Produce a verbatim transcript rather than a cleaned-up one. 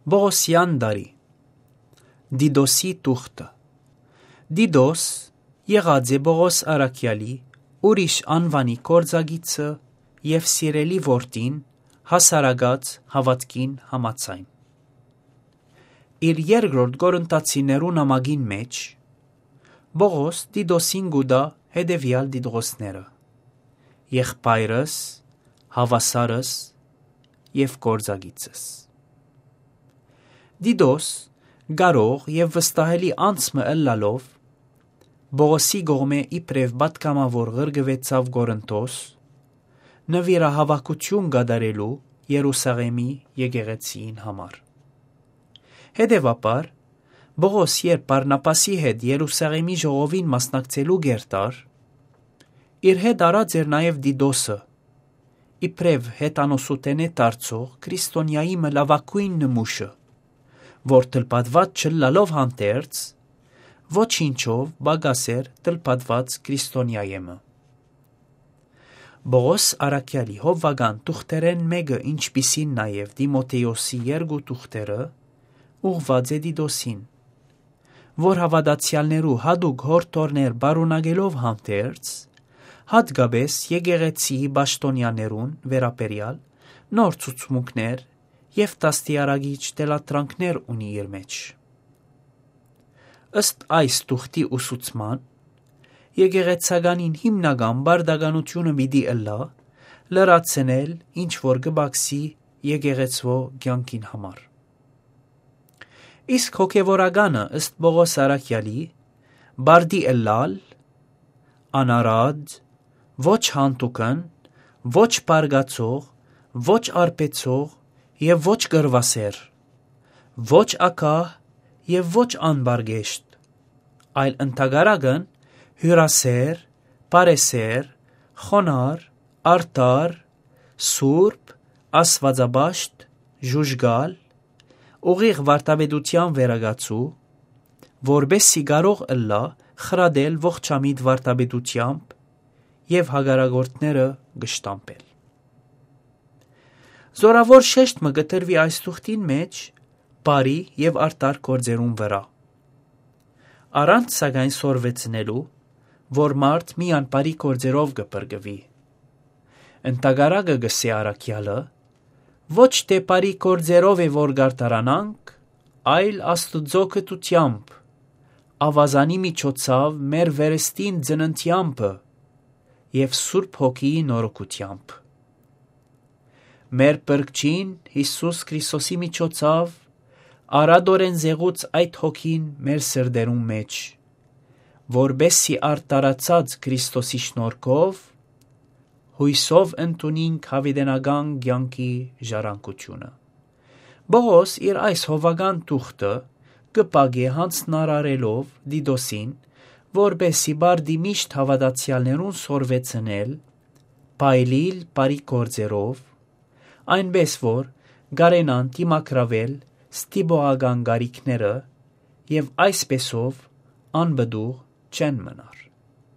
Բողոսյան դարի Դիդոսի տուղթը Դիդոս եղած է Բողոս Արաքյալի ուրիշ անվանի կորձագիծը և սիրելի որդին հասարակած հավատքին համաձայն։ Իր երկրորդ Կորինթացիներու նամակին մեջ Բողոս Դիդոսին գուտա հետևյալ դիտողները՝ եղբայրս, հավասարս և կորձագիծս։ Դիդոս կարող և վստահելի անձը ըլլալով Բողոսի կողմէ իբրև պատգամավոր ղրկվեցավ Կորինթոս նվիրահավաքություն կատարելու Երուսաղեմի եկեղեցիին համար։ Հետևաբար Բողոս երբ Բարնաբասի հետ Երուսաղեմի ժողովին մասնակցելու գերտար, իր հետ արած էր նաև Դիդոսը, իբրև հետանոսութենե դարձող քրիստոնյայի լավագույն նմուշը, որ թլպատված չլալով հանդերձ ոչինչով պակաս էր թլպատված քրիստոնյայեմը։ Բողոս Արաքյալի հովվական տուղթերեն մեկը, ինչպիսին նաև Տիմոթեոսի երկու տուղթերը, ուղղված է Դիդոսին, որ հավատացյալներու հատուկ հորդորներ պարունակելով հանդերձ, հատկապես եկեղեցիի պաշտոնյաներուն վերաբերյալ նոր ցուցմունքներ և դաստիարակիչ թելադրանքներ ունի իր մեջ։ Ըստ այս տուղթի ուսուցման, եկեղեցականին հիմնական պարտականությունը պիտի ըլլա լրացնել ինչ որ կպակսի եկեղեցվո կյանքին համար։ Իսկ հոգևորականը ըստ Բողոս Արաքյալի պարտի ըլլալ անարատ, ոչ հանդուգն, ոչ բարկացող, ոչ արբեցող և ոչ կռվասեր, ոչ ագահ և ոչ անպարկեշտ, այլ ընդհակառակն հյուրասեր, բարեսեր, խոնարհ, արդար, սուրբ, աստվածապաշտ, ժուժգալ, ուղիղ վարդապետության վերակացու, որպեսզի կարող ըլլա խրատել ողջամիտ վարդապետությամբ և հակառակորդները կշտամբել։ Զորավոր շեշտը կտրվի այս տուղթին մեջ բարի և արդար գործերուն վրա, առանց սակայն սորվեցնելու, որ մարդ միան բարի գործերով կփրկվի։ Ընդհակառակը գսե Արաքյալը, ոչ թե բարի գործերով է որ կարտարանանք, այլ Աստուծո գթությամբ, ավազանի միջոցով մեր վերստին ծննդյամբը և Սուրբ Հոգիի նորոգությամբ։ Մեր Փրկչին Հիսուս Քրիստոսի միջոցով արադորեն զեղուց այդ հոգին մեր սրտերուն մեջ, որպեսզի արդարացած Քրիստոսի շնորհքով հույսով ընդունենք հավիտենական կյանքի ժառանգությունը։ Բողոս իր այս հովվական տուղթը կպագե հանձնարարելով Դիդոսին, որպեսզի բարդի միշտ հավատացյալներուն սորվեցնել, փայլիլ բարի գործերով, այնպես որ կարենան դիմակրավել ստիպողական կարիքները և այսպեսով անպտուղ չեն մնար։